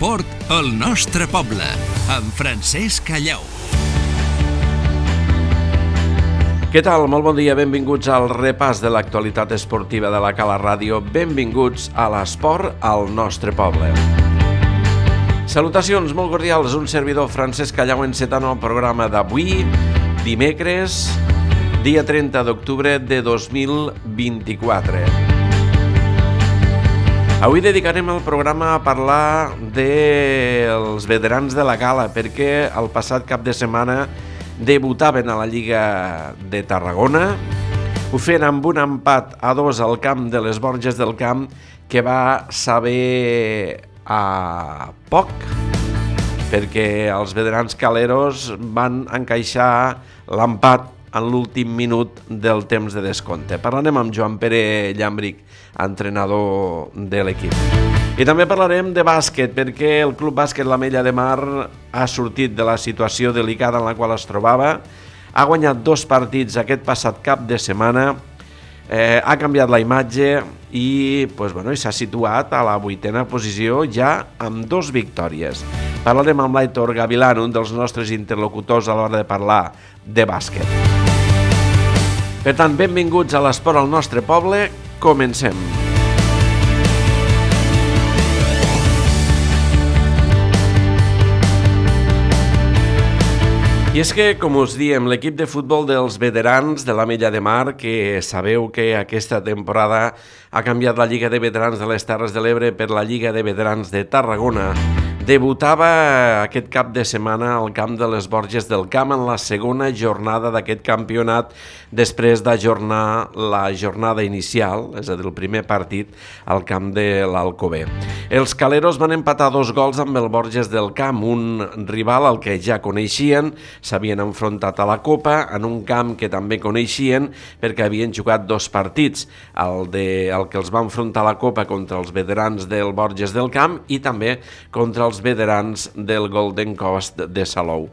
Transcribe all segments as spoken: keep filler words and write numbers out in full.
L'esport al nostre poble, amb Francesc Callau. Què tal? Molt bon dia, benvinguts al repàs de l'actualitat esportiva de la Cala Ràdio. Benvinguts a l'esport al nostre poble. Salutacions molt cordials, un servidor Francesc Callau encetant el programa d'avui, dimecres, dia trenta d'octubre de dos mil vint-i-quatre. Avui dedicarem el programa a parlar dels veterans de la Cala, perquè el passat cap de setmana debutaven a la Lliga de Tarragona. Ho feien amb un empat a dos al camp de les Borges del Camp, que va saber a poc, perquè els veterans caleros van encaixar l'empat en l'últim minut del temps de descompte. Parlarem amb Joan Pere Llambric, entrenador de l'equip. I també parlarem de bàsquet, perquè el Club Bàsquet l'Ametlla de Mar ha sortit de la situació delicada en la qual es trobava, ha guanyat dos partits aquest passat cap de setmana, eh, ha canviat la imatge i pues, bueno, s'ha situat a la vuitena posició ja amb dos victòries. Parlarem amb l'Aitor Gavilán, un dels nostres interlocutors a l'hora de parlar de bàsquet. Per tant, benvinguts a l'esport al nostre poble. Comencem. I és que, com us diem, l'equip de futbol dels veterans de l'Ametlla de Mar, que sabeu que aquesta temporada ha canviat la Lliga de Veterans de les Terres de l'Ebre per la Lliga de Veterans de Tarragona, debutava aquest cap de setmana al camp de les Borges del Camp en la segona jornada d'aquest campionat, després d'ajornar la jornada inicial, és a dir, el primer partit, al camp de l'Alcover. Els caleros van empatar dos gols amb el Borges del Camp, un rival al que ja coneixien, s'havien enfrontat a la Copa, en un camp que també coneixien perquè havien jugat dos partits, el, de, el que els va enfrontar a la Copa contra els veterans del Borges del Camp i també contra els veterans del Golden Coast de Salou.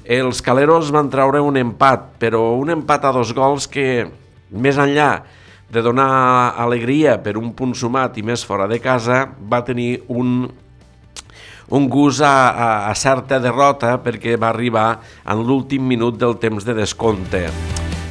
Els caleros van treure un empat, però un empat a dos gols que, més enllà de donar alegria per un punt sumat i més fora de casa, va tenir un, un gust a, a, a certa derrota perquè va arribar en l'últim minut del temps de descompte.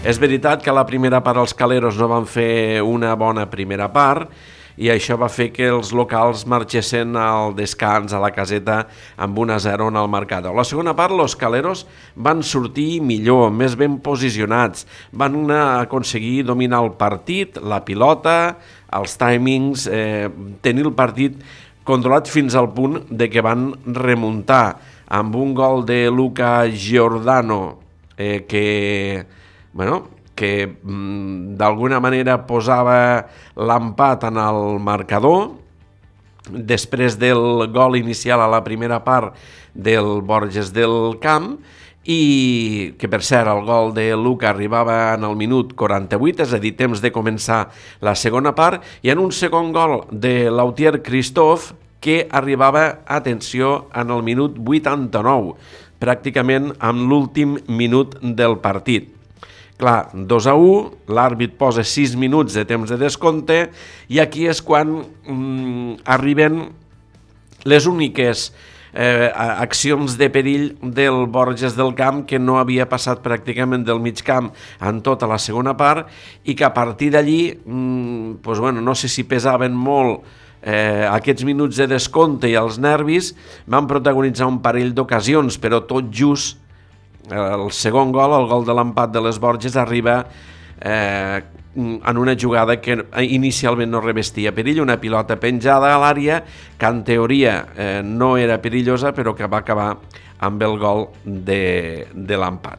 És veritat que a la primera part els caleros no van fer una bona primera part, i això va fer que els locals marxessin al descans a la caseta amb un a zero en el marcador. A la segona part, els caleros van sortir millor, més ben posicionats, van aconseguir dominar el partit, la pilota, els timings, eh, tenir el partit controlat fins al punt de que van remuntar amb un gol de Luca Giordano eh, que, bueno, que mm, d'alguna manera posava l'empat en el marcador després del gol inicial a la primera part del Borges del Camp, i que per cert el gol de Luca arribava en el minut quaranta-vuit, és a dir, temps de començar la segona part, i en un segon gol de Lautier Christophe que arribava, atenció, en el minut vuitanta-nou, pràcticament amb l'últim minut del partit. Clar, dos a u, l'àrbit posa sis minuts de temps de descompte i aquí és quan mm, arriben les úniques eh, accions de perill del Borges del Camp, que no havia passat pràcticament del mig camp en tota la segona part i que a partir d'allí, mm, pues bueno, no sé si pesaven molt eh, aquests minuts de descompte i els nervis, van protagonitzar un parell d'ocasions, però tot just el segon gol, el gol de l'empat de les Borges, arriba eh, en una jugada que inicialment no revestia perill, una pilota penjada a l'àrea que en teoria eh, no era perillosa, però que va acabar amb el gol de, de l'empat.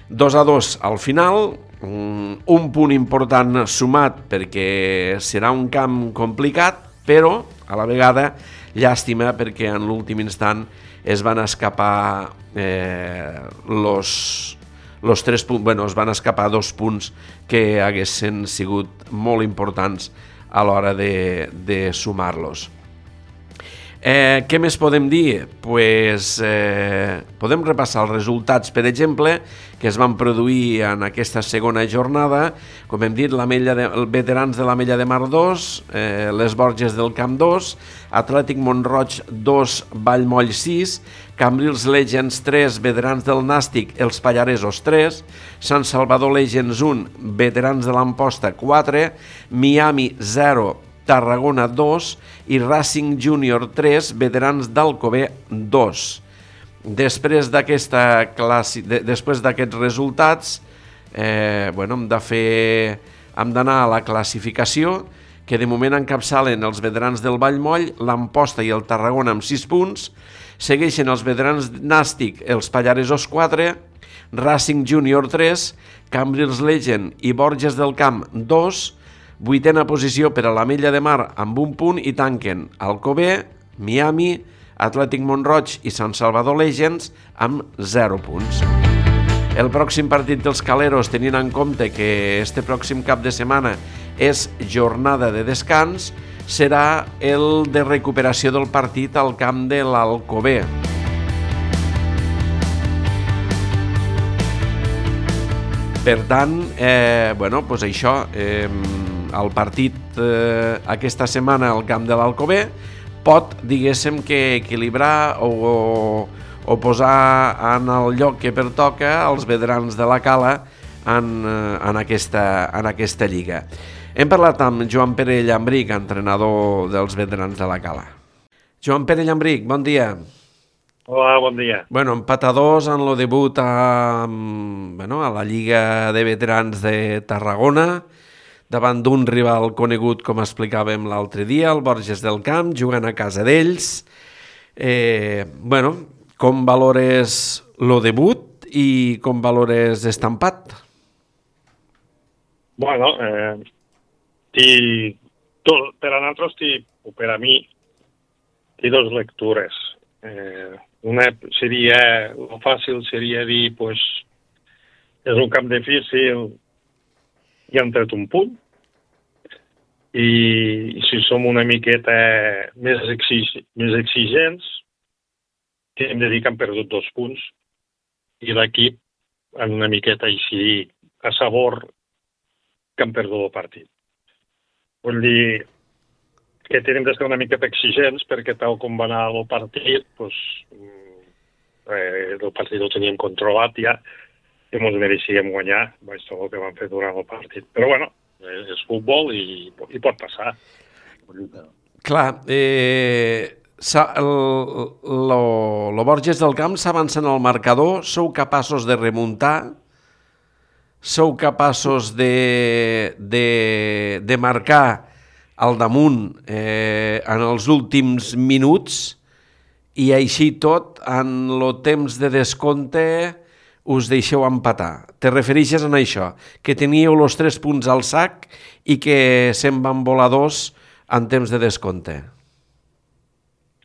dos a dos al final, un punt important sumat perquè serà un camp complicat, però a la vegada llàstima perquè en l'últim instant es van escapar eh, los, los tres punts, bueno, es van escapar dos punts que haguessin sigut molt importants a l'hora de, de sumar-los. Eh, què més podem dir? Pues, eh, podem repassar els resultats, per exemple, que es van produir en aquesta segona jornada. Com hem dit, l'Ametlla de, els veterans de l'Ametlla de Mar dos, eh, les Borges del Camp dos, Atlètic Mont-roig dos, Vallmoll sis, Cambrils Legends tres, veterans del Nàstic, els Pallaresos tres, Sant Salvador Legends un, veterans de l'Amposta quatre, Miami zero, Tarragona dos i Racing Júnior tres, veterans d'Alcover dos. Després d'aquesta classi... de, després d'aquests resultats, eh, bueno, hem de fer... hem d'anar a la classificació, que de moment encapçalen els veterans del Vallmoll, l'Amposta i el Tarragona amb sis punts, segueixen els veterans Nàstic, els Pallaresos quatre, Racing Júnior tres, Cambrils Legend i Borges del Camp dos, vuitena posició per a l'Ametlla de Mar amb un punt i tanquen Alcover, Miami, Atlètic Mont-roig i Sant Salvador Legends amb zero punts. El pròxim partit dels Caleros, tenint en compte que este pròxim cap de setmana és jornada de descans, serà el de recuperació del partit al camp de l'Alcover. Per tant, eh, bueno, pues això... Eh, el partit eh, aquesta setmana al camp de l'Alcover pot, diguéssim, que equilibrar o, o, o posar en el lloc que pertoca els veterans de la Cala en, en, aquesta, en aquesta lliga. Hem parlat amb Joan Pere Llambric, entrenador dels veterans de la Cala. Joan Pere Llambric, bon dia. Hola, bon dia. Bueno, empatadors en el debut a, bueno, a la Lliga de Veterans de Tarragona, davant d'un rival conegut, com explicàvem l'altre dia, el Borges del Camp, jugant a casa d'ells. Eh, bueno, com valores el debut i com valores este empat? Bueno, eh, ti, tot, per a nosaltres, ti, o per a mi, té dues lectures. Eh, una seria, el fàcil seria dir, pues, és un camp difícil i han tret un punt. I si som una miqueta més, exig, més exigents, que hem de dir que han perdut dos punts i l'equip en una miqueta així a sabor que han perdut el partit. Vull dir que tenim de ser una miqueta exigents perquè tal com va anar el partit, pues, eh, el partit ho teníem controlat ja i ens mereixíem guanyar, vaig tot el que vam fer durant el partit. Però bueno, és futbol i, i pot passar. Clar, eh, el, lo, lo Borges del Camp s'avança en el marcador, sou capaços de remuntar, sou capaços de, de, de marcar al damunt eh, en els últims minuts i així tot, en el temps de descompte, us deixeu empatar. Te refereixes a això, que teníeu els tres punts al sac i que se'n van volar dos en temps de descompte.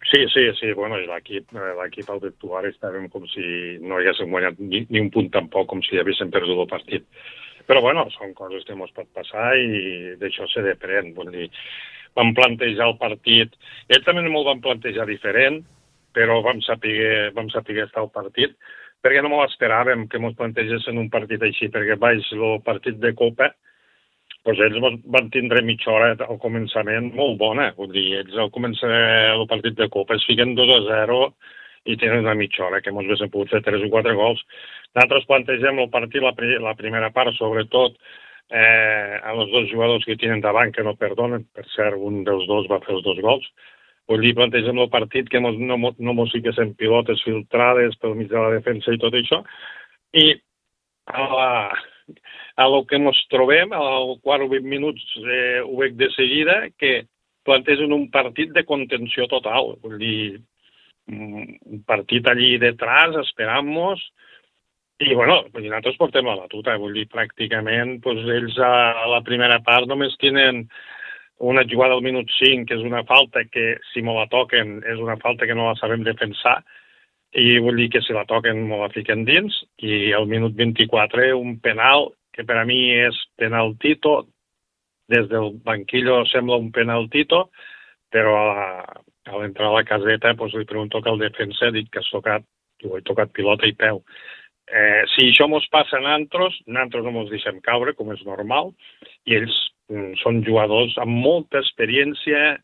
Sí, sí, sí. Bueno, l'equip, l'equip al d'actuar estàvem com si no haguéssim guanyat ni, ni un punt tampoc, com si haguéssim perdut el partit. Però bueno, són coses que ens pot passar i d'això se depèn. Vull dir, vam plantejar el partit, ells també m'ho van plantejar diferent, però vam saber, vam saber estar al partit, perquè no m'ho esperàvem que ens plantegessin un partit així, perquè baix el partit de Copa, doncs ells van tindre mitja hora al començament molt bona. Vull dir, ells al començar el partit de Copa es fiquen dos a zero i tenen una mitja hora, que ens haguéssim pogut fer tres o quatre gols. Nosaltres plantegem el partit, la, la primera part, sobretot, eh, a els dos jugadors que tenen davant, que no perdonen. Per cert, un dels dos va fer els dos gols. Vull dir, plantegem el partit que no, no, no mos fiquessin pilotes filtrades pel mig de la defensa i tot això. I a, la, a lo que ens trobem, al quart o vint minuts eh, ho veig de seguida, que plantegen un partit de contenció total. Vull dir, un partit allí detrás, esperant-nos, i bueno, nosaltres portem la batuta. Vull dir, pràcticament, doncs, ells a la primera part només tenen una jugada al minut cinc, que és una falta que, si me la toquen, és una falta que no la sabem defensar, i vull dir que si la toquen me la fiquen dins, i al minut vint-i-quatre un penal, que per a mi és penaltito, des del banquillo sembla un penaltito, però a la, a l'entrar a la caseta, doncs li pregunto que el defensa, dic que has tocat, diu, he tocat pilota i peu. Eh, si això mos passa a nantros, nantros no mos deixem caure, com és normal, i ells mm, són jugadors amb molta experiència,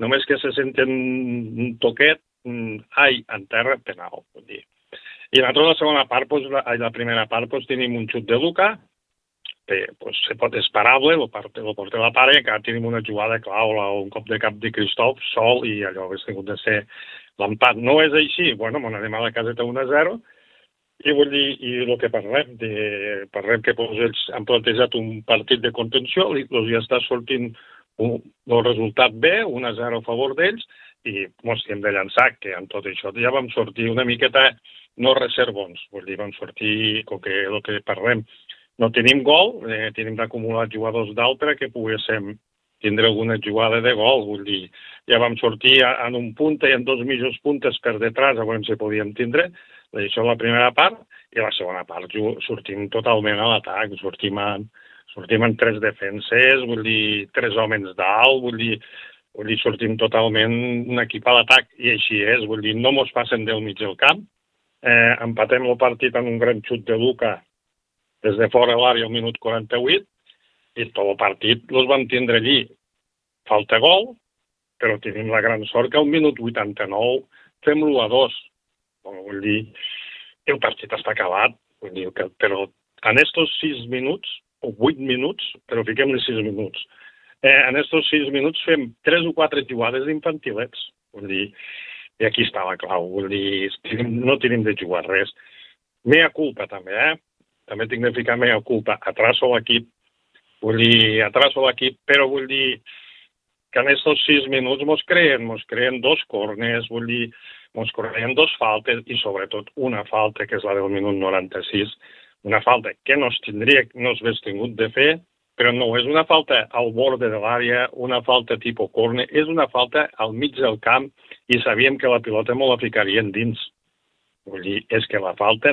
només que se senten un toquet, mm, ai, en terra, penal. Vull dir. I nosaltres la segona part, doncs, la, la primera part, doncs, tenim un xut de Luka, que pues, se pot esperable, el porter la pare, que tenim una jugada clau, un cop de cap de Cristof, sol, i allò hauria tingut de ser l'empat. No és així, bueno, m'on anem a la caseta un a zero, i vull dir, i el que parlem, de, parlem que pues, ells han plantejat un partit de contenció, i doncs ja està sortint un, el resultat bé, un a zero a favor d'ells, i mos hem de llançar, que amb tot això ja vam sortir una miqueta no reservons, vull dir, vam sortir, com que el que parlem, no tenim gol, eh, tenim d'acumular jugadors d'altre que poguéssim tindre alguna jugada de gol, vull dir, ja vam sortir en un punta i en dos mitjos puntes per detrás, a veure si podíem tindre, això la primera part, i la segona part sortim totalment a l'atac, sortim en, sortim en tres defenses, vull dir, tres homes dalt, vull dir, vull dir, sortim totalment un equip a l'atac, i així és, vull dir, no mos passen del mig del camp, eh, empatem el partit en un gran xut de Luka des de fora l'àrea al minut quaranta-vuit, i tot el partit els vam tindre allí. Falta gol, però tenim la gran sort que al minut vuitanta-nou fem l'u a dos. Vull dir, el partit està acabat, vull dir, que, però en estos sis minuts, o vuit minuts, però fiquem-li sis minuts, eh, en estos sis minuts fem tres o quatre jugades infantilets. Vull dir, i aquí està la clau, vull dir, no tenim de jugar res. Mea culpa també, eh? També tinc de ficar mea culpa. Atraso l'equip, vull dir, atraso l'equip, però vull dir que en aquests sis minuts mos creen, mos creen dos corners, vull dir, mos creen dos faltes i sobretot una falta, que és la del minut noranta-sis, una falta que no es tindria, no s'hagués tingut de fer, però no és una falta al borde de l'àrea, una falta tipus corner, és una falta al mig del camp i sabíem que la pilota me la ficarien dins. Vull dir, és que la falta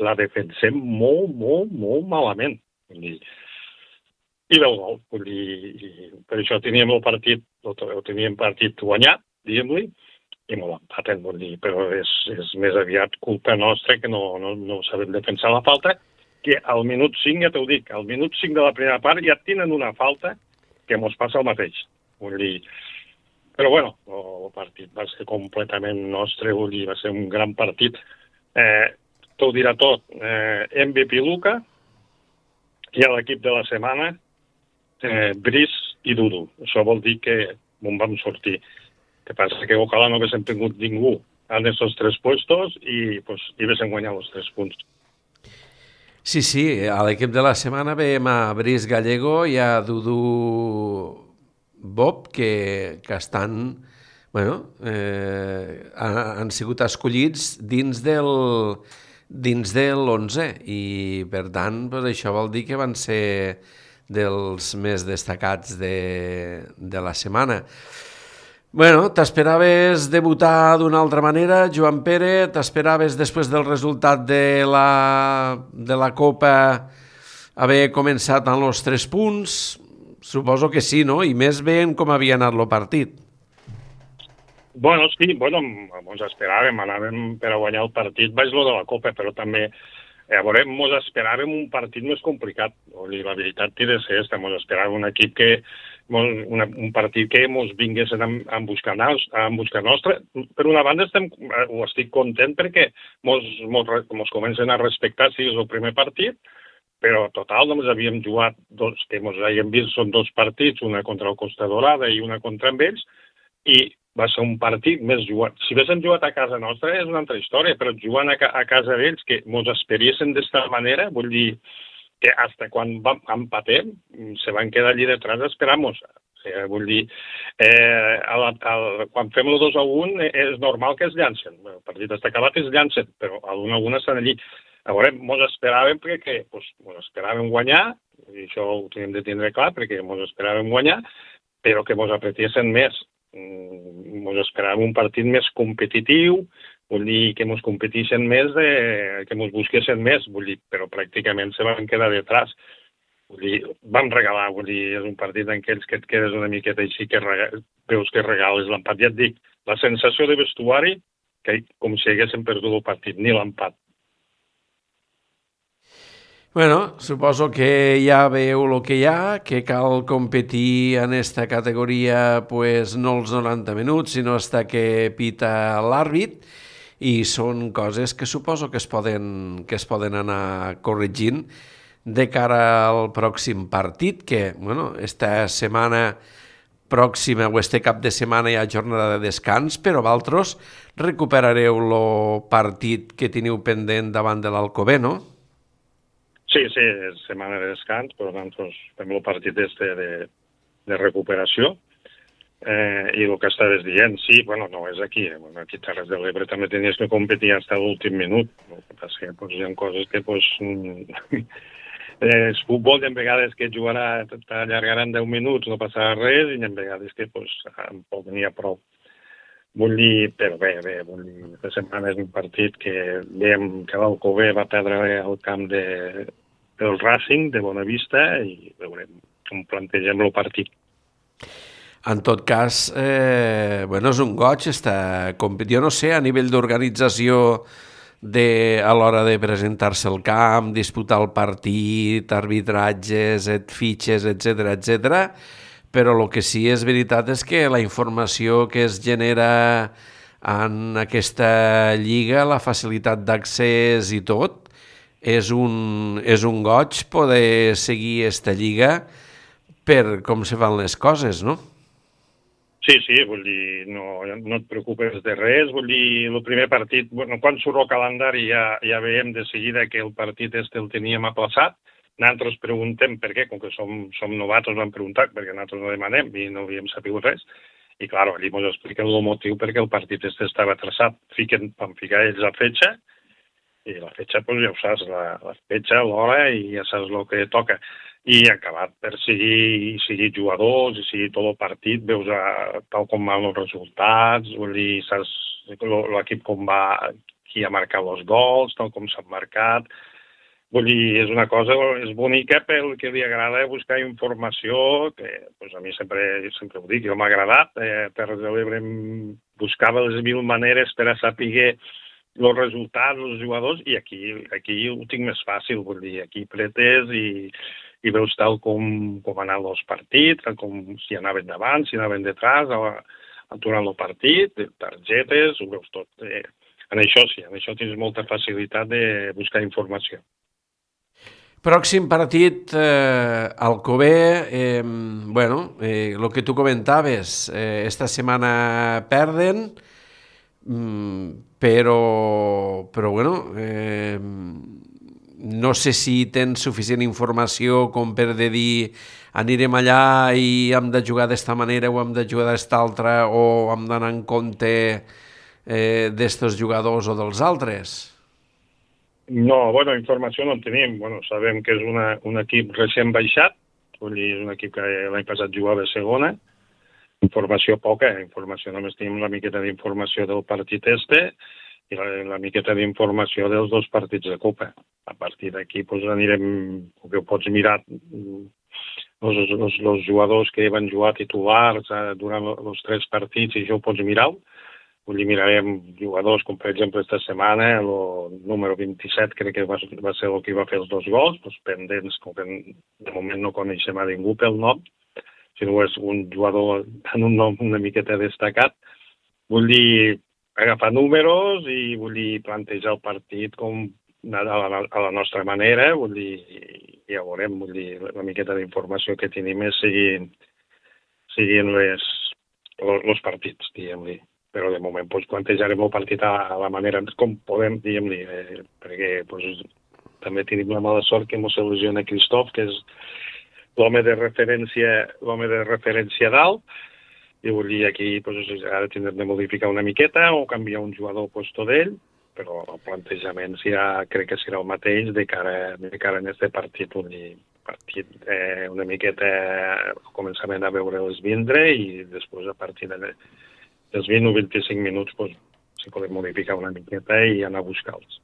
la defensem molt, molt, molt malament. Vull dir, i veu gol, vull dir, i per això teníem el partit, el teníem partit guanyat, diguem-li, i molt empaten, vull dir, però és, és més aviat culpa nostra que no, no, no sabem defensar la falta, que al minut cinc, ja t'ho dic, al minut cinc de la primera part ja tenen una falta que mos passa el mateix. Vull dir, però bueno, el partit va ser completament nostre, vull dir, va ser un gran partit. Eh, T'ho dirà tot. Eh, M V P Luka i a l'equip de la setmana, eh, Brice i Dudu. Això vol dir que on vam sortir. El que passa que ojalà no haguéssim tingut ningú en aquests tres puestos i, pues, i haguéssim guanyat els tres punts. Sí, sí, a l'equip de la setmana veiem a Brice Gallego i a Dudu Bob, que, que estan, bueno, eh, han, han sigut escollits dins del dins de l'onze i, per tant, pues, això vol dir que van ser dels més destacats de, de la setmana. Bueno, t'esperaves debutar d'una altra manera, Joan Pere? T'esperaves, després del resultat de la, de la Copa, haver començat amb els tres punts? Suposo que sí, no? I més veient com havia anat el partit. Bueno, sí, bueno, ens esperàvem, anàvem per a guanyar el partit, vaig lo de la Copa, però també, a veure, ens esperàvem un partit més complicat, la veritat té de ser esta, ens esperàvem un equip que, una, un partit que ens vingués a, a, buscar, a buscar nostre. Per una banda, estem, ho estic content perquè ens comencen a respectar si és el primer partit, però total, només havíem jugat dos, que ens havíem vist, són dos partits, una contra el Costa Dorada i una contra amb ells, i va ser un partit més jugat. Si haguéssim jugat a casa nostra és una altra història, però jugant a, ca a casa d'ells, que ens esperiessin d'esta manera, vull dir que fins quan vam, empatem, se van quedar allí detrás esperant-nos. Eh, vull dir, eh, a la, a, quan fem el dos a un és normal que es llancen. El partit està acabat, es llancen, però a l'un a un estan allí. A veure, ens esperàvem perquè pues, ens esperàvem guanyar, i això ho tenim de tindre clar, perquè ens esperàvem guanyar, però que ens apretessin més. Ens esperàvem un partit més competitiu, vull dir que ens competissin més, de, que ens busquessin més, vull dir, però pràcticament se van quedar detrás. Vull dir, vam regalar, vull dir, és un partit en què et quedes una miqueta així, que rega, veus que regales l'empat. Ja et dic, la sensació de vestuari que com si haguéssim perdut el partit, ni l'empat. Bueno, suposo que ja veieu el que hi ha, que cal competir en esta categoria pues, no els noranta minuts, sinó hasta que pita l'àrbit, i són coses que suposo que es poden, que es poden anar corregint de cara al pròxim partit, que, bueno, esta setmana pròxima o este cap de setmana hi ha jornada de descans, però vosaltres recuperareu el partit que teniu pendent davant de l'Alcover, no? Sí, sí, és setmana de descans, però nosaltres fem el partit este de, de recuperació. Eh, I el que estaves dient, sí, bueno, no és aquí. Eh? Bueno, aquí a Terres de l'Ebre també tenies que competir fins a l'últim minut. El que passa que pues, hi ha coses que pues, és futbol, i en vegades que jugarà, t'allargaran deu minuts, no passarà res, i en vegades que pues, tampoc n'hi ha prou. Vull dir, però bé, bé, vull dir, la setmana és un partit que veiem que l'Alcover va perdre el camp de, del Racing, de Bonavista, i veurem com plantegem el partit. En tot cas, eh, bueno, és un goig esta competició. Jo no sé, a nivell d'organització de, a l'hora de presentar-se al camp, disputar el partit, arbitratges, et fitxes, etcètera, etcètera, però el que sí és veritat és que la informació que es genera en aquesta lliga, la facilitat d'accés i tot, és un, és un goig poder seguir aquesta lliga per com se fan les coses, no? Sí, sí, vull dir, no, no et preocupes de res, vull dir, el primer partit, bueno, quan surt el calendari ja, ja veiem de seguida que el partit este el teníem aplaçat. Nosaltres preguntem per què, com que som, som novatos, vam preguntar, perquè nosaltres no demanem i no havíem sabut res. I, clar, allí ens expliquen el motiu perquè el partit este estava traçat. Fiquen, van ficar ells la fetxa, i la fetxa, doncs ja ho saps, la, la fetxa, l'hora, i ja saps el que toca. I acabat per seguir, seguir jugadors i seguir tot el partit, veus a, tal com van els resultats, vull dir, saps l'equip com va, qui ha marcat els gols, tal com s'han marcat. Vull dir, és una cosa, és bonica pel que li agrada buscar informació, que pues, a mi sempre, sempre ho dic, jo m'ha agradat. Eh, Terres de l'Ebre buscava les mil maneres per a saber els resultats, els jugadors, i aquí, aquí ho tinc més fàcil, vull dir, aquí pretes i, i veus tal com, com anaven els partits, com si anaven davant, si anaven detrás, durant el partit, targetes, ho veus tot. Eh, en això sí, en això tens molta facilitat de buscar informació. Pròxim partit, eh, Alcover, eh, bueno, eh, el que tu comentaves, eh, esta setmana perden, mm, però, però bueno, eh, no sé si tens suficient informació com per de dir anirem allà i hem de jugar d'esta manera o hem de jugar d'esta altra o hem d'anar en compte eh, d'estos jugadors o dels altres. No, bueno, informació no en tenim. Bueno, sabem que és una, un equip recent baixat, vull dir, és un equip que l'any passat jugava a segona. Informació poca, informació només tenim una miqueta d'informació del partit este i la, la miqueta d'informació dels dos partits de Copa. A partir d'aquí pues, anirem, que ho pots mirar, els, els, els jugadors que van jugar titulars eh, durant els tres partits, i això ho pots mirar. Vull dir, mirarem jugadors, com per exemple esta setmana, el número vint-i-set crec que va, va ser el que va fer els dos gols, doncs pendents, com que de moment no coneixem a ningú pel nom, sinó és un jugador amb un nom una miqueta destacat. Vull dir, agafar números i vull dir, plantejar el partit com a la, a la nostra manera, vull dir, ja veurem, vull dir, la miqueta d'informació que tenim és seguint, seguint les, els partits, diguem-li. Però de moment pues, plantejarem el partit a la manera com podem, diguem-li, eh, perquè pues, també tenim la mala sort que ens selecciona Christoph, que és l'home de referència, l'home de referència dalt, i vull dir, aquí pues, ara tindrem de modificar una miqueta o canviar un jugador al puesto d'ell, però el plantejament ja crec que serà el mateix de cara, de cara en aquest partit, vull dir, partit eh, una miqueta al començament a veure-les vindre i després a partir de els vint o vint-i-cinc minuts pues, si podem modificar una miqueta i anar a buscar-los.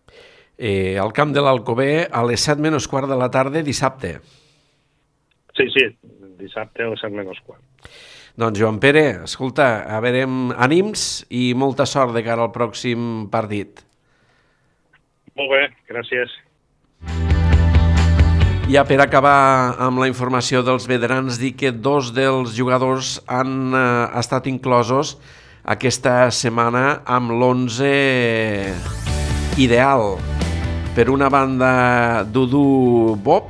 Eh, al camp de l'Alcover a les set menys quart de la tarda dissabte. Sí, sí, dissabte a les set menys quart. Doncs Joan Pere, escolta, a veure, ànims i molta sort de cara al pròxim partit. Molt bé, gràcies. Ja per acabar amb la informació dels veterans, dir que dos dels jugadors han eh, estat inclosos aquesta setmana amb l'onze ideal. Per una banda, Dudu Bob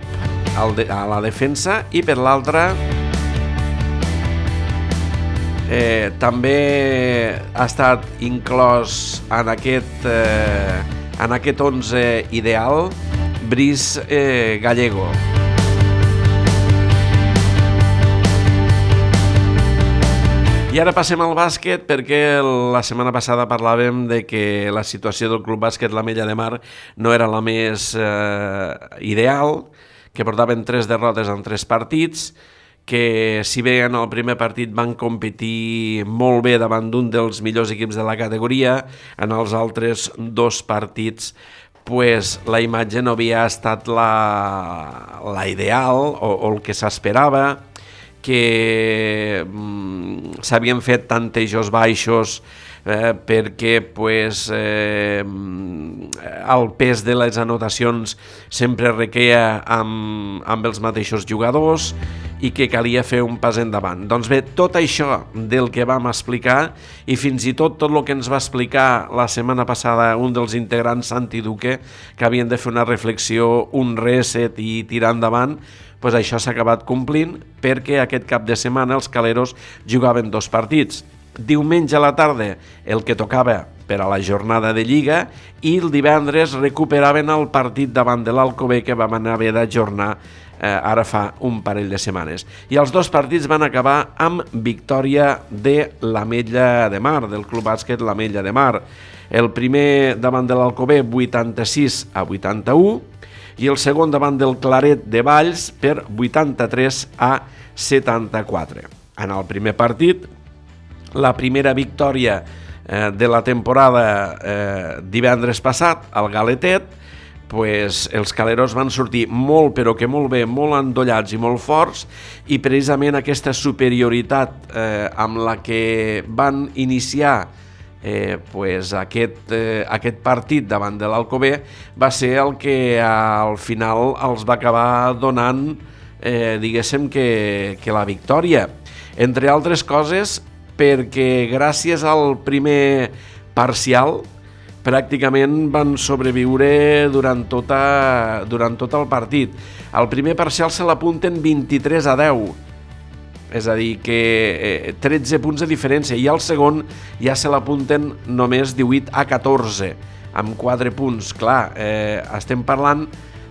a la defensa i per l'altra eh, també ha estat inclòs en aquest, eh, en aquest onze ideal Brice eh, Gallego. I ara passem al bàsquet perquè la setmana passada parlàvem de que la situació del Club Bàsquet l'Ametlla de Mar no era la més eh, ideal, que portaven tres derrotes en tres partits, que si bé en el primer partit van competir molt bé davant d'un dels millors equips de la categoria, en els altres dos partits pues, la imatge no havia estat la, la ideal o, o el que s'esperava, que mm, s'havien fet tantejos baixos eh, perquè pues, eh, el pes de les anotacions sempre requeia amb, amb els mateixos jugadors i que calia fer un pas endavant. Doncs bé, tot això del que vam explicar i fins i tot tot el que ens va explicar la setmana passada un dels integrants, Santi Duque, que havien de fer una reflexió, un reset i tirar endavant, pues això s'ha acabat complint perquè aquest cap de setmana els caleros jugaven dos partits. Diumenge a la tarda el que tocava per a la jornada de Lliga i el divendres recuperaven el partit davant de l'Alcover que vam haver d'ajornar eh, ara fa un parell de setmanes. I els dos partits van acabar amb victòria de l'Ametlla de Mar, del Club Bàsquet l'Ametlla de Mar. El primer davant de l'Alcover vuitanta-sis a vuitanta-u i el segon davant del Claret de Valls per vuitanta-tres a setanta-quatre. En el primer partit, la primera victòria eh, de la temporada eh, divendres passat, al Galetet, pues, els caleros van sortir molt, però que molt bé, molt endollats i molt forts, i precisament aquesta superioritat eh, amb la que van iniciar Eh, pues aquest, eh, aquest partit davant de l'Alcover va ser el que al final els va acabar donant eh, diguéssim que, que la victòria, entre altres coses perquè gràcies al primer parcial pràcticament van sobreviure durant, tota, durant tot el partit. Al primer parcial se l'apunten vint-i-tres a deu, és a dir, que eh, tretze punts de diferència, i al segon ja se l'apunten només divuit a catorze, amb quatre punts. Clar, eh, estem parlant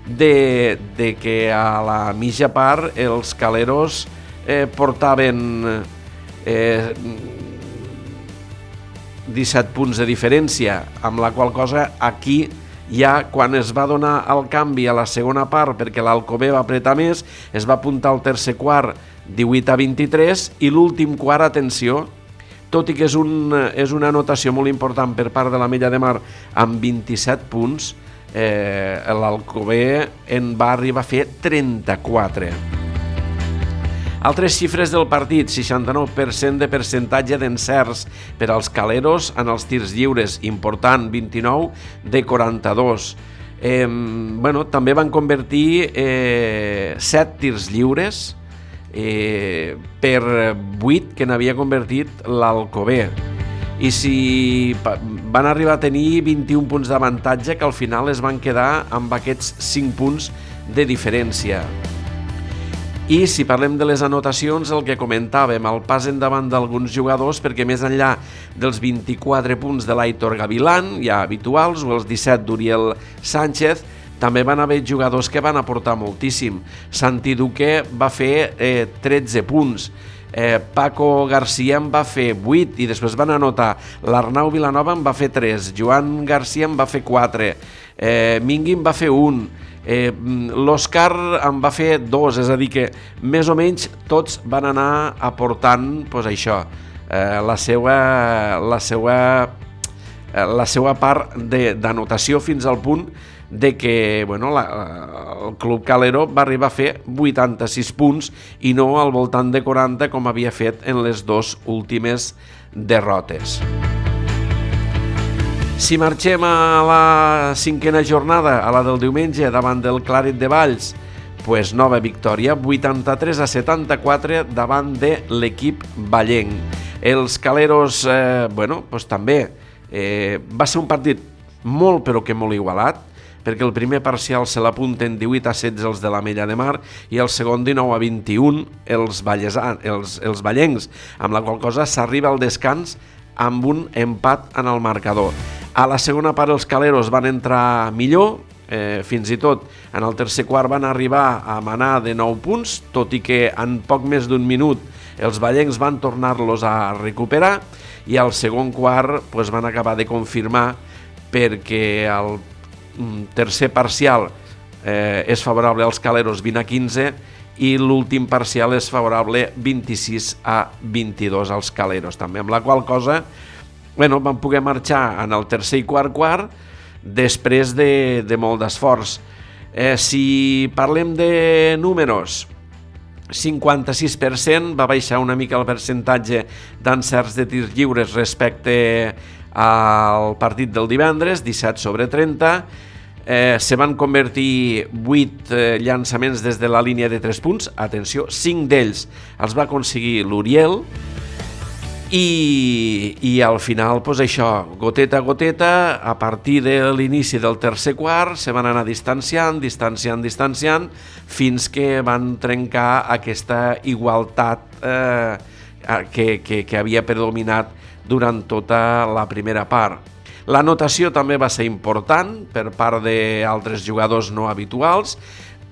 de, de que a la mitja part els caleros eh, portaven eh, disset punts de diferència, amb la qual cosa aquí ja quan es va donar el canvi a la segona part perquè l'Alcover va apretar més, es va apuntar al tercer quart divuit a vint-i-tres i l'últim quart, atenció, tot i que és, un, és una anotació molt important per part de l'Ametlla de Mar amb vint-i-set punts, eh, l'Alcover en va arribar a fer trenta-quatre. Altres xifres del partit: seixanta-nou per cent de percentatge d'encerts per als caleros en els tirs lliures, important, vint-i-nou de quaranta-dos. Eh, bueno, també van convertir eh, set tirs lliures eh, per vuit que n'havia convertit l'Alcover. I si van arribar a tenir vint-i-un punts d'avantatge, que al final es van quedar amb aquests cinc punts de diferència. I si parlem de les anotacions, el que comentàvem, el pas endavant d'alguns jugadors, perquè més enllà dels vint-i-quatre punts de l'Aitor Gavilán, ja habituals, o els disset d'Uriel Sánchez, també van haver jugadors que van aportar moltíssim. Santi Duque va fer eh, tretze punts, eh, Paco García en va fer vuit i després van anotar. L'Arnau Vilanova en va fer tres, Joan García en va fer quatre, eh, Mingui en va fer un, Eh, l'Òscar en va fer dos, és a dir que més o menys tots van anar aportant pues, això, eh, la seva, la seva la seva part d'anotació fins al punt de que bueno, la, el Club Calero va arribar a fer vuitanta-sis punts i no al voltant de quaranta com havia fet en les dues últimes derrotes. Si marxem a la cinquena jornada, a la del diumenge, davant del Claret de Valls, pues nova victòria, vuitanta-tres a setanta-quatre davant de l'equip vallenc. Els Caleros, eh, bueno, pues també eh, va ser un partit molt però que molt igualat, perquè el primer parcial se l'apunten divuit a setze els de l'Ametlla de Mar i el segon dinou a vint-i-un els, vallesans, els, els vallencs, amb la qual cosa s'arriba al descans amb un empat en el marcador. A la segona part els Caleros van entrar millor, eh, fins i tot en el tercer quart van arribar a manar de nou punts, tot i que en poc més d'un minut els vallencs van tornar-los a recuperar i al segon quart pues, van acabar de confirmar perquè el tercer parcial eh, és favorable als Caleros vint a quinze i l'últim parcial és favorable vint-i-sis a vint-i-dos als Caleros també, amb la qual cosa bueno, van poder marxar en el tercer i quart quart després de, de molt d'esforç. Eh, si parlem de números, cinquanta-sis per cent va baixar una mica el percentatge d'encerts de tirs lliures respecte al partit del divendres, disset sobre trenta. Eh, se van convertir vuit eh, llançaments des de la línia de tres punts. Atenció, cinc d'ells els va aconseguir l'Uriel. I, i al final, pues això, goteta a goteta, a partir de l'inici del tercer quart, se van anar distanciant, distanciant, distanciant, fins que van trencar aquesta igualtat eh, que, que, que havia predominat durant tota la primera part. La notació també va ser important per part d'altres jugadors no habituals.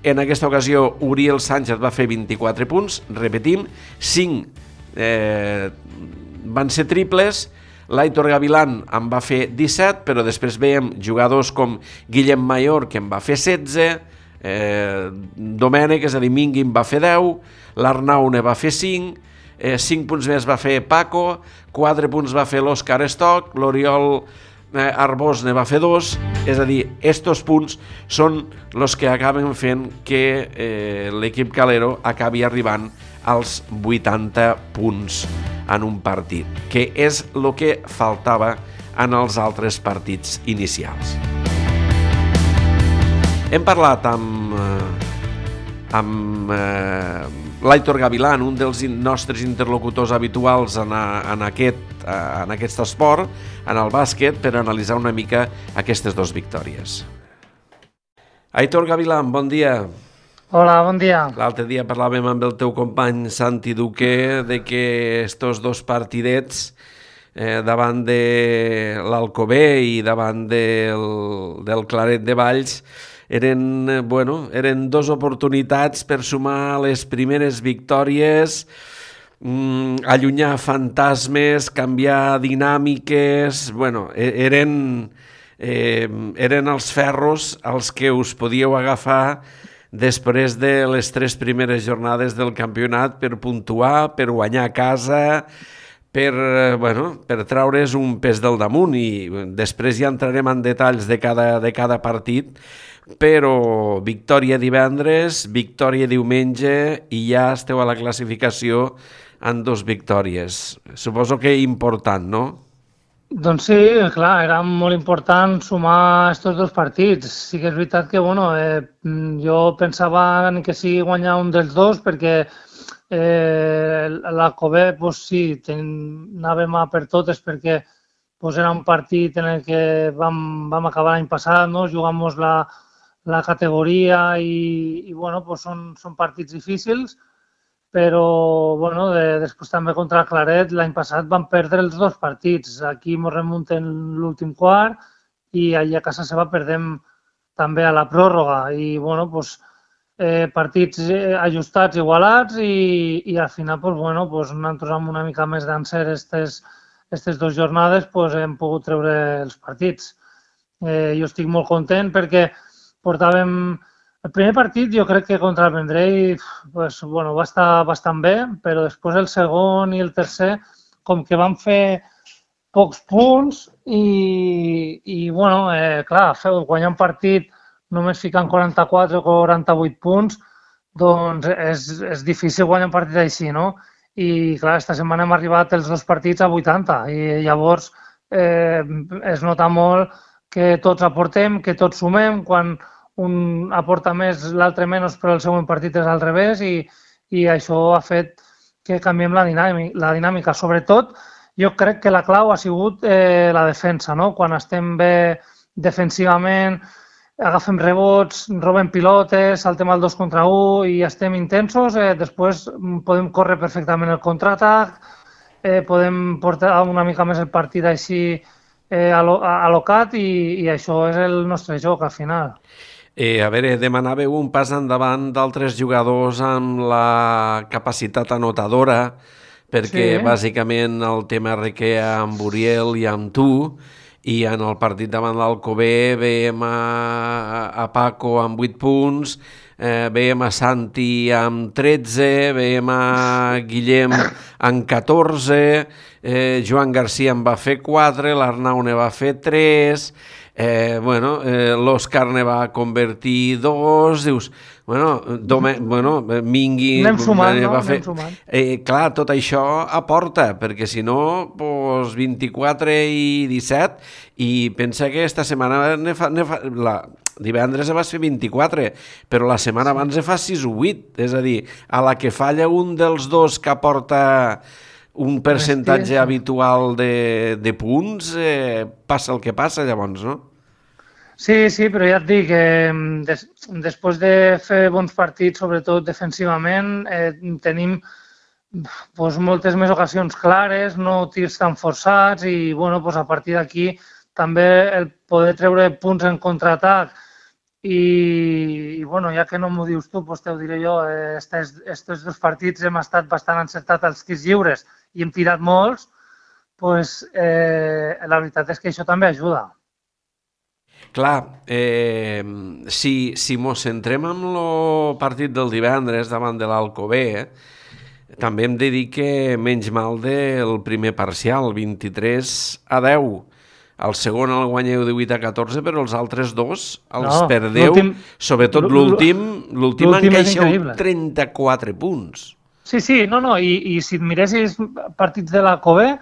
En aquesta ocasió, Uriel Sánchez va fer vint-i-quatre punts, repetim, cinc eh, van ser triples, l'Aitor Gavilán en va fer disset, però després veiem jugadors com Guillem Mayor, que en va fer setze, eh, Domènec, és a dir, Mingui en va fer deu, l'Arnau ne va fer cinc, eh, cinc punts més va fer Paco, quatre punts va fer l'Òscar Stock, l'Oriol eh, Arbós ne va fer dos, és a dir, estos punts són els que acaben fent que eh, l'equip Calero acabi arribant als vuitanta punts en un partit, que és el que faltava en els altres partits inicials. Hem parlat amb, amb eh, l'Aitor Gavilán, un dels nostres interlocutors habituals en, a, en, aquest, en aquest esport, en el bàsquet, per analitzar una mica aquestes dues victòries. Aitor Gavilán, bon dia. Hola, bon dia. L'altre dia parlàvem amb el teu company Santi Duque de que estos dos partidets eh, davant de l'Alcover i davant del, del Claret de Valls eren, bueno, eren dos oportunitats per sumar les primeres victòries, mm, allunyar fantasmes, canviar dinàmiques, bueno, eren, eh, eren els ferros als que us podíeu agafar després de les tres primeres jornades del campionat per puntuar, per guanyar a casa, per, bueno, per traure's un pes del damunt i després ja entrarem en detalls de cada, de cada partit, però victòria divendres, victòria diumenge i ja esteu a la classificació en dos victòries. Suposo que important, no? Doncs sí, clar, era molt important sumar aquests dos partits. Sí que és veritat que, bueno, eh, jo pensava que sí guanyar un dels dos perquè eh, l'Alcover, pues sí, ten, anàvem a per totes perquè pues, era un partit en el que vam, vam acabar l'any passat, no? Jugamos la, la categoria i, i bueno, pues són, són partits difícils, però bueno, de, després també contra el Claret l'any passat vam perdre els dos partits. Aquí ens remunten l'últim quart i allà a casa seva perdem també a la pròrroga. I bueno, pues, eh, partits ajustats, igualats i, i al final pues, bueno, pues, nosaltres amb una mica més d'encert aquestes dues jornades pues, hem pogut treure els partits. Eh, jo estic molt content perquè portàvem... El primer partit jo crec que contra el Vendrell pues, bueno, va estar bastant bé, però després el segon i el tercer com que van fer pocs punts i, i bueno, eh, clar, guanyar un partit només ficant quaranta-quatre o quaranta-vuit punts, doncs és, és difícil guanyar un partit així, no? I clar, esta setmana hem arribat els dos partits a vuitanta i llavors eh, es nota molt que tots aportem, que tots sumem, quan un aporta més, l'altre menys, però el següent partit és al revés i, i això ha fet que canviem la dinàmica. La dinàmica. Sobretot, jo crec que la clau ha sigut eh, la defensa, no? Quan estem bé defensivament, agafem rebots, robem pilotes, saltem al dos contra u i estem intensos, eh, després podem córrer perfectament el contraatac, eh, podem portar una mica més el partit així eh, alocat i, i això és el nostre joc al final. Eh, a veure, demanàveu un pas endavant d'altres jugadors amb la capacitat anotadora, perquè sí, bàsicament el tema requea amb Uriel i amb tu, i en el partit davant l'Alcover veiem a, a Paco amb vuit punts, eh, veiem a Santi amb tretze, veiem a Guillem amb catorze, eh, Joan Garcia en va fer quatre, l'Arnau ne va fer tres, eh, bueno, eh, l'Òscar ne va convertir dos, dius, bueno, Dome, bueno Mingui anem sumant, va no? fer... Anem sumant. Eh, clar, tot això aporta, perquè si no, pues, vint-i-quatre i disset, i pensa que esta setmana ne fa, ne fa, la, divendres vas fer vint-i-quatre, però la setmana abans ne fa sis o vuit, és a dir, a la que falla un dels dos que aporta un percentatge Hòstia. habitual de, de punts, eh, passa el que passa llavors, no? Sí, sí, però ja et dic que des, després de fer bons partits, sobretot defensivament, eh, tenim pues, moltes més ocasions clares, no tirs tan forçats i bueno, pues, a partir d'aquí també el poder treure punts en contraatac i, i bueno, ja que no m'ho dius tu, pues, te ho diré jo, eh, estes, estes dos partits hem estat bastant encertats als tirs lliures i hem tirat molts, pues, eh, la veritat és que això també ajuda. Clar, eh, si, si mos centrem en el partit del divendres davant de l'Alcover, eh, també hem de dir que menys mal del primer parcial, vint-i-tres a deu. El segon el guanyeu divuit a catorze, però els altres dos els no, perdeu, sobretot l'últim, l'últim encaixeu trenta-quatre punts. Sí, sí, no, no, i, i si et miressis partits de l'Alcover,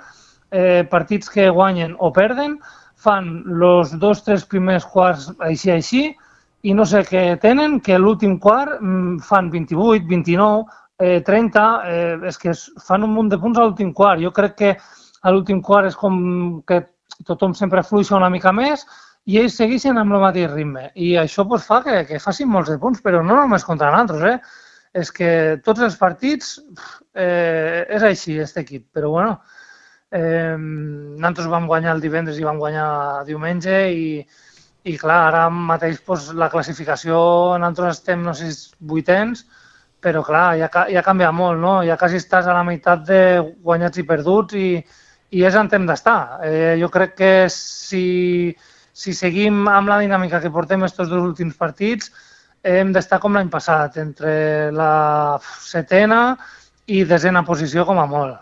eh, partits que guanyen o perden, fan els dos, tres primers quarts així, així, i no sé què tenen, que l'últim quart fan vint-i-vuit, vint-i-nou, eh, trenta, eh, és que fan un munt de punts a l'últim quart. Jo crec que a l'últim quart és com que tothom sempre fluixa una mica més i ells segueixen amb el mateix ritme. I això pues, fa que, que facin molts de punts, però no només contra nosaltres, eh? És que tots els partits eh, és així, aquest equip, però bueno, Eh, nosaltres vam guanyar el divendres i vam guanyar diumenge i, i clar, ara mateix pues, la classificació, nosaltres estem, no sé, vuitens, però clar, ja, ja canvia molt, no? Ja quasi estàs a la meitat de guanyats i perduts i, i és on hem d'estar. Eh, jo crec que si, si seguim amb la dinàmica que portem aquests dos últims partits, hem d'estar com l'any passat, entre la setena i desena posició com a molt.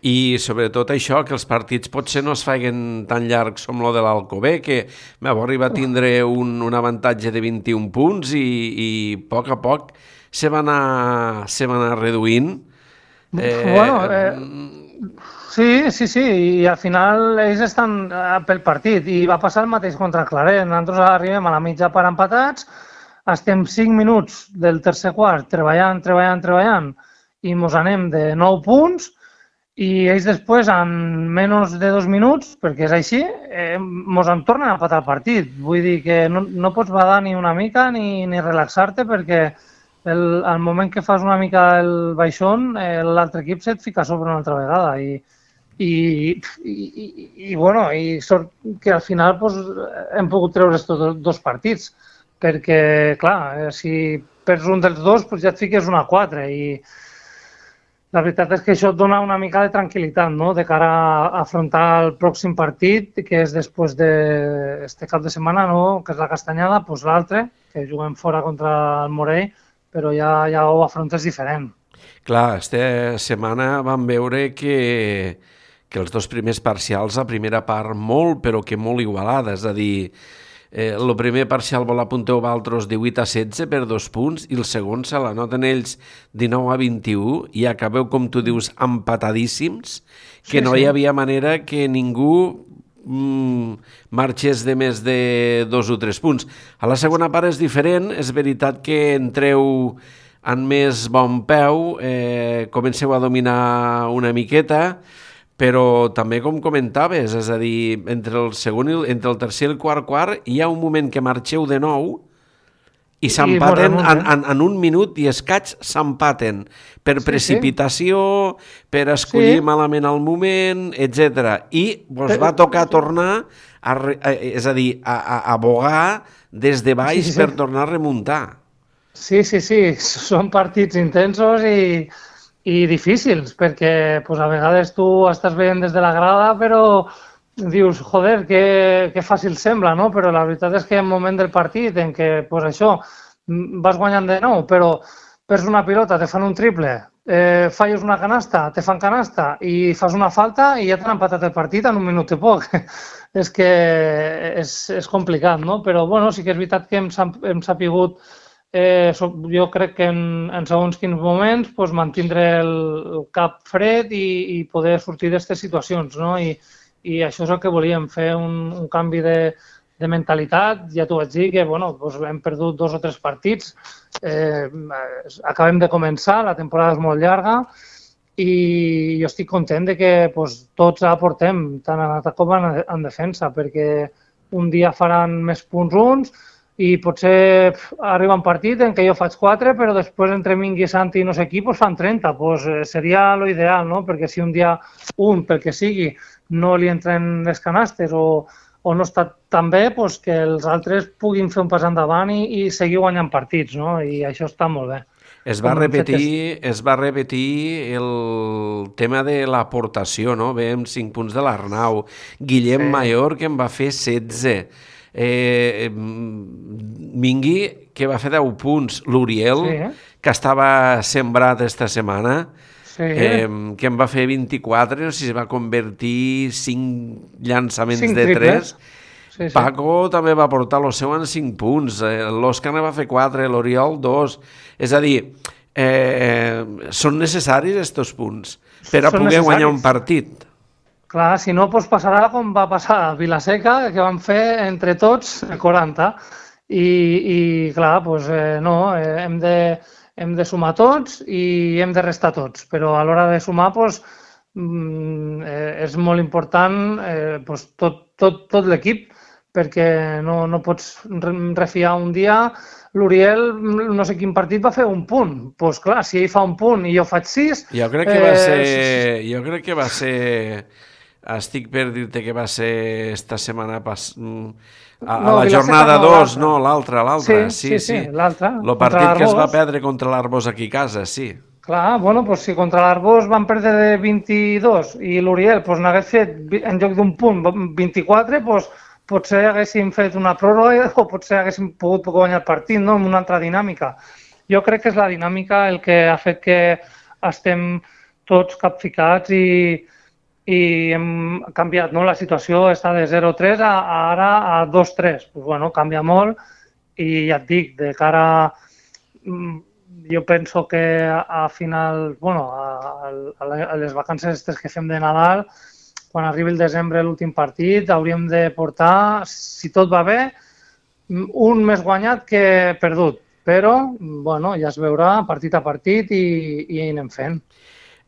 I sobretot això, que els partits potser no es facin tan llargs com el de l'Alcover, que va arribar a tindre un, un avantatge de vint-i-un punts i, i a poc a poc se va anar, se va anar reduint. Eh, bueno, eh, sí, sí, sí, i al final ells estan pel partit i va passar el mateix contra Claret. Nosaltres arribem a la mitja part empatats, estem cinc minuts del tercer quart treballant, treballant, treballant i mos anem de nou punts i ells després, en menys de dos minuts, perquè és així, eh, mos en tornen a empatar el partit. Vull dir que no, no pots badar ni una mica ni, ni relaxar-te perquè el, al moment que fas una mica el baixón, eh, l'altre equip se't fica a sobre una altra vegada. I, i, i, i, i bueno, i sort que al final pues, hem pogut treure aquests dos partits, perquè, clar, si perds un dels dos, pues ja et fiques una a quatre i la veritat és que això et dona una mica de tranquil·litat, no?, de cara a afrontar el pròxim partit, que és després d'aquest cap de setmana, no?, que és la Castanyada, doncs l'altre, que juguem fora contra el Morell, però ja, ja ho afrontes diferent. Clar, aquesta setmana vam veure que, que els dos primers parcials, la primera part molt, però que molt igualada, és a dir, eh, el primer parcial vol apunteu vosaltres divuit a setze per dos punts i el segon se la noten ells dinou a vint-i-u i acabeu, com tu dius, empatadíssims, que sí, no hi havia manera que ningú mm, marxés de més de dos o tres punts. A la segona part és diferent, és veritat que entreu en més bon peu, eh, comenceu a dominar una miqueta, però també com comentaves, és a dir, entre el segon i el, entre el tercer i el quart quart hi ha un moment que marxeu de nou i s'empaten en, en, en un minut i escaig s'empaten per sí, precipitació, sí. per escollir sí. malament el moment, etcètera. I vos va tocar tornar, a, a, és a dir, a, a, a bogar des de baix sí, sí. per tornar a remuntar. Sí, sí, sí, són partits intensos i, i difícils, perquè pues, a vegades tu estàs veient des de la grada, però dius, joder, que, que fàcil sembla, no? Però la veritat és que hi ha un moment del partit en què pues, això vas guanyant de nou, però perds una pilota, te fan un triple, eh, falles una canasta, te fan canasta i fas una falta i ja t'han empatat el partit en un minut i poc. És que és, és complicat, no? Però bueno, sí que és veritat que hem, hem sapigut Eh, jo crec que en, en segons quins moments pues, mantindre el, el cap fred i, i poder sortir d'aquestes situacions, no? I, I això és el que volíem, fer un, un canvi de, de mentalitat. Ja t'ho vaig dir que bueno, pues, hem perdut dos o tres partits, eh, acabem de començar, la temporada és molt llarga i jo estic content de que pues, tots aportem, tant en atac com en, en defensa, perquè un dia faran més punts uns, i potser arriba un partit en què jo faig quatre, però després entre Mingui, Santi i no sé qui pues fan trenta. Pues seria l'ideal, no? Perquè si un dia un, pel que sigui, no li entren les canastes o, o no està tan bé, pues que els altres puguin fer un pas endavant i, i seguir guanyant partits, no? I això està molt bé. Es va repetir, es va repetir el tema de l'aportació, no? Veiem cinc punts de l'Arnau. Guillem sí. Mayor, que en va fer setze. Eh, Mingui, que va fer deu punts, l'Uriel, sí, eh? que estava sembrat esta setmana, sí. eh, que en va fer vint-i-quatre, no sé si es va convertir cinc llançaments cinc de tres. Sí, sí. Paco també va portar el seu en cinc punts, eh, l'Òscar va fer quatre, l'Oriol dos. És a dir, eh, són necessaris estos punts per a són poder necessaris. Guanyar un partit. Clar, si no, doncs passarà com va passar a Vilaseca, que van fer entre tots quaranta. I, i clar, doncs eh, no, eh, hem, de, hem de sumar tots i hem de restar tots. Però a l'hora de sumar, doncs, eh, és molt important eh, doncs, tot, tot, tot l'equip, perquè no, no pots refiar un dia. L'Uriel, no sé quin partit, va fer un punt. Doncs pues, clar, si ell fa un punt i jo faig sis... Jo crec que va ser... Eh, jo crec que va ser... Estic per dir-te que va ser esta setmana pas... a, a no, la jornada dos, no, l'altra, l'altra. Sí, sí, sí, sí l'altra. El partit que es va perdre contra l'Arbós aquí a casa, sí. Clar, bueno, doncs si contra l'Arbós van perdre de vint-i-dos i l'Uriel doncs, n'hagués fet, en lloc d'un punt, vint-i-quatre, doncs potser haguéssim fet una pròrroga o potser haguéssim pogut guanyar el partit, no?, amb una altra dinàmica. Jo crec que és la dinàmica el que ha fet que estem tots capficats i i hem canviat, no? La situació està de zero a tres a, a ara a dos a tres. Pues, bueno, canvia molt i ja et dic, de cara... Jo penso que a final, bueno, a, a les vacances que fem de Nadal, quan arribi el desembre l'últim partit, hauríem de portar, si tot va bé, un més guanyat que perdut. Però, bueno, ja es veurà partit a partit i, i anem fent.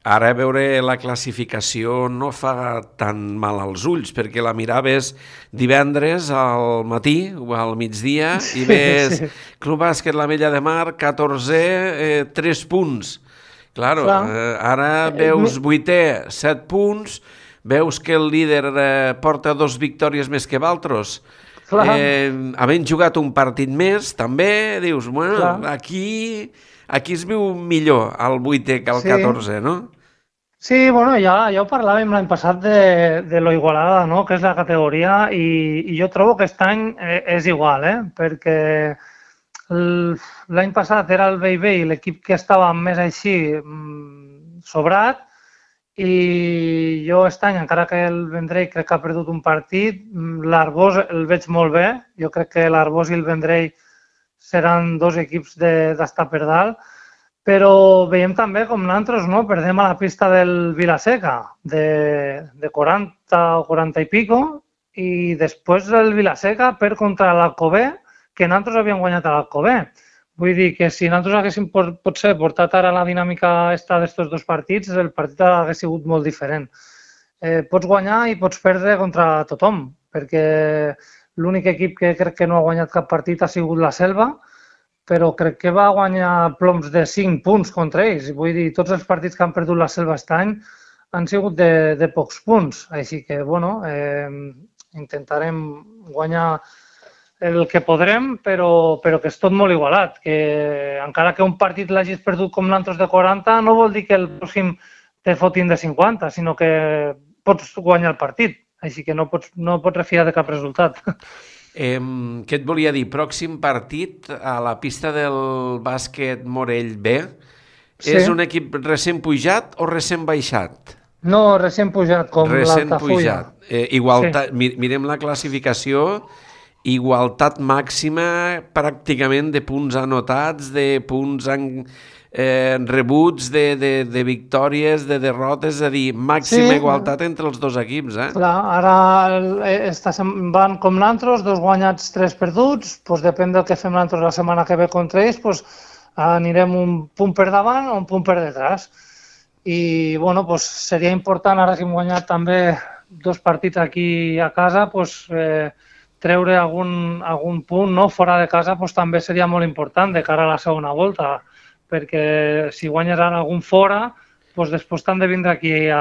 Ara veure la classificació no fa tan mal als ulls, perquè la miraves divendres al matí o al migdia i ves sí. Club Bàsquet l'Ametlla de Mar, catorze, eh, tres punts. Claro, eh, ara veus vuitè, set punts, veus que el líder eh, porta dos victòries més que d'altres. Eh, havent jugat un partit més, també, dius, bueno, Clar. aquí... Aquí es viu millor el vuitè que el sí. catorze, no? Sí, bueno, ja, ja ho parlàvem l'any passat de, de lo igualada, no?, que és la categoria, i, i jo trobo que aquest any és igual, eh? Perquè l'any passat era el Bei Bei, l'equip que estava més així sobrat, i jo aquest any, encara que el Vendrell crec que ha perdut un partit, l'Arbós el veig molt bé. Jo crec que l'Arbós i el Vendrell seran dos equips d'estar per dalt, però veiem també com nosaltres, no? Perdem a la pista del Vilaseca de, de quaranta o quaranta i pico, i després el Vilaseca perd contra l'Alcover, que nosaltres havíem guanyat a l'Alcover. Vull dir que si nosaltres haguéssim potser portat ara la dinàmica esta d'estos dos partits, el partit hauria sigut molt diferent. Eh, pots guanyar i pots perdre contra tothom, perquè l'únic equip que crec que no ha guanyat cap partit ha sigut la Selva, però crec que va guanyar ploms de cinc punts contra ells. Vull dir, tots els partits que han perdut la Selva aquest any han sigut de, de pocs punts. Així que, bueno, eh, intentarem guanyar el que podrem, però, però que és tot molt igualat. Que encara que un partit l'hagis perdut com l'altre de quaranta, no vol dir que el pròxim te fotin de cinquanta, sinó que pots guanyar el partit. Així que no pots, no pots refiar de cap resultat. Eh, què et volia dir? Pròxim partit a la pista del bàsquet Morell B. Sí. És un equip recent pujat o recent baixat? No, recent pujat, com l'Altafulla. Recent pujat. Eh, igualtat, sí. Mirem la classificació, igualtat màxima pràcticament de punts anotats, de punts en, eh, rebuts, de, de, de victòries, de derrotes, és a dir, màxima sí. igualtat entre els dos equips. Eh? Clar, ara esta, van com nosaltres, dos guanyats, tres perduts, doncs depèn del que fem nosaltres la setmana que ve contra ells, doncs anirem un punt per davant o un punt per detrás. I bueno, doncs seria important, ara que hem guanyat també dos partits aquí a casa, doncs eh, treure algun, algun punt, no? Fora de casa doncs, també seria molt important de cara a la segona volta, perquè si guanyes ara algun fora, doncs després t'han de vindre aquí a,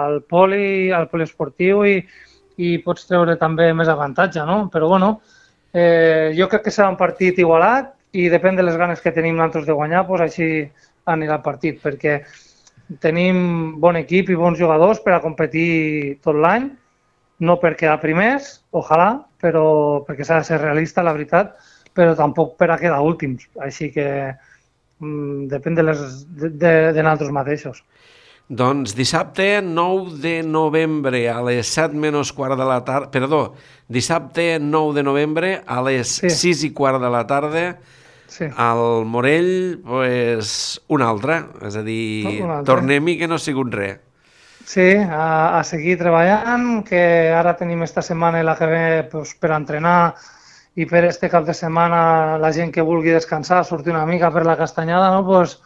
al poli, al poliesportiu i, i pots treure també més avantatge, no? Però bueno, eh, jo crec que serà un partit igualat i depèn de les ganes que tenim nosaltres de guanyar, doncs així anirà el partit, perquè tenim bon equip i bons jugadors per a competir tot l'any, no per quedar primers, ojalà, però perquè s'ha de ser realista, la veritat, però tampoc per a quedar últims. Així que mm, depèn de, les, de, de, de nosaltres mateixos. Doncs dissabte nou de novembre a les set menys quart de la tarda, perdó, dissabte nou de novembre a les sí. sis i quart de la tarda, sí. Al Morell, pues, un altre, és a dir, tornem-hi que no ha sigut res. Sí, a, a seguir treballant, que ara tenim esta setmana i la que ve pues, per entrenar i per este cap de setmana la gent que vulgui descansar, sortir una mica per la castanyada, no? Pues,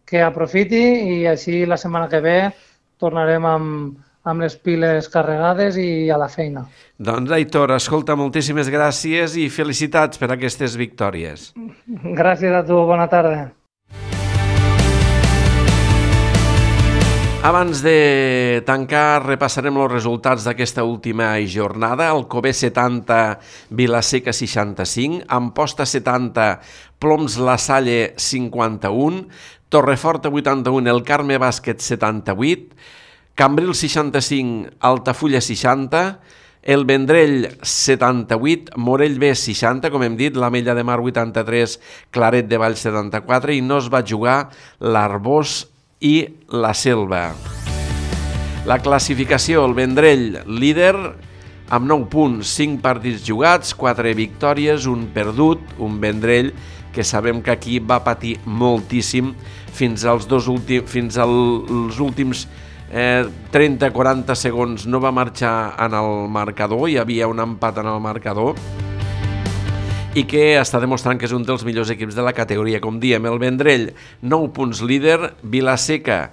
que aprofiti i així la setmana que ve tornarem amb, amb les piles carregades i a la feina. Doncs, Aitor, escolta, moltíssimes gràcies i felicitats per aquestes victòries. Gràcies a tu, bona tarda. Abans de tancar, repassarem els resultats d'aquesta última jornada. Alcover setanta, Vilaseca seixanta-cinc, Amposta setanta, Ploms La Salle cinquanta-un, Torreforta vuitanta-un, El Carme Bàsquet setanta-vuit, Cambril seixanta-cinc, Altafulla seixanta, El Vendrell setanta-vuit, Morell B seixanta, com hem dit, l'Ametlla de Mar vuitanta-tres, Claret de Vall setanta-quatre i no es va jugar l'Arbós i la Selva. La classificació, el Vendrell líder amb nou punts, cinc partits jugats, quatre victòries, un perdut, un Vendrell que sabem que aquí va patir moltíssim fins als, dos últims, fins als últims eh, trenta a quaranta segons no va marxar en el marcador, hi havia un empat en el marcador i que està demostrant que és un dels millors equips de la categoria. Com diem, el Vendrell, nou punts líder, Vilaseca,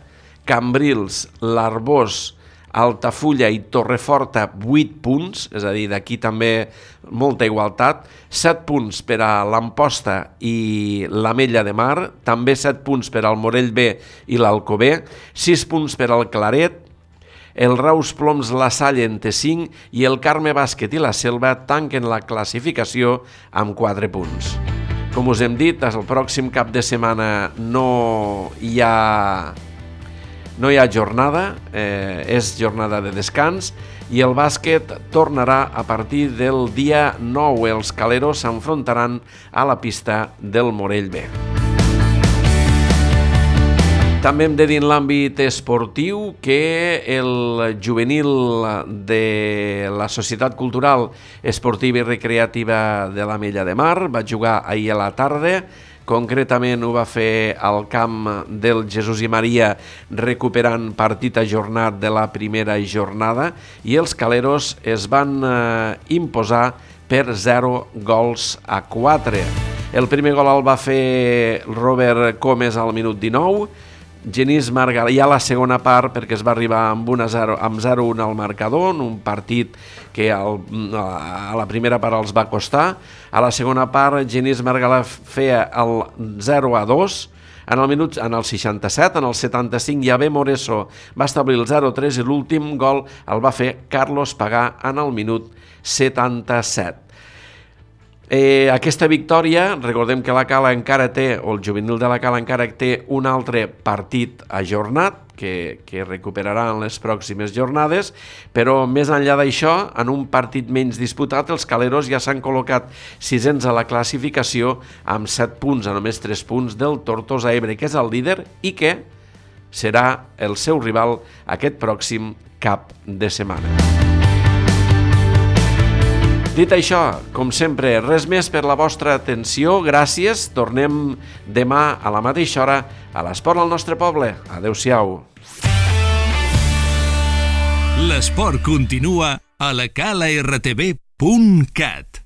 Cambrils, l'Arbós, Altafulla i Torreforta, vuit punts, és a dir, d'aquí també molta igualtat, set punts per a l'Amposta i l'Ametlla de Mar, també set punts per al Morell B i l'Alcover, sis punts per al Claret, el Raus Ploms La Salle en té cinc i el Carme Bàsquet i la Selva tanquen la classificació amb quatre punts. Com us hem dit, el pròxim cap de setmana no hi ha, no hi ha jornada, eh, és jornada de descans i el bàsquet tornarà a partir del dia nou. Els caleros s'enfrontaran a la pista del Morell B. També hem de dir en l'àmbit esportiu que el juvenil de la Societat Cultural Esportiva i Recreativa de l'Ametlla de Mar va jugar ahir a la tarda, concretament ho va fer al camp del Jesús i Maria recuperant partit ajornat de la primera jornada i els caleros es van eh, imposar per zero gols a quatre. El primer gol el va fer Robert Comes al minut dinou, Genís Margalef, ja a la segona part, perquè es va arribar amb, amb zero a un al marcador, en un partit que al, a la primera part els va costar. A la segona part, Genís Margalef feia el zero a dos, en el, minut, en el seixanta-set, en el setanta-cinc, Javé Moreso va establir el zero a tres i l'últim gol el va fer Carlos Pagà en el minut setanta-set. Eh, aquesta victòria, recordem que la Cala encara té, o el juvenil de la Cala encara té un altre partit ajornat que, que recuperarà en les pròximes jornades, però més enllà d'això, en un partit menys disputat, els caleros ja s'han col·locat sisens a la classificació amb set punts, a només tres punts del Tortosa Ebre, que és el líder i que serà el seu rival aquest pròxim cap de setmana. Dit això, com sempre, res més per la vostra atenció, gràcies. Tornem demà a la mateixa hora a l'Esport al nostre poble. Adéu-siau. L'esport continua a la cala r t v punt cat.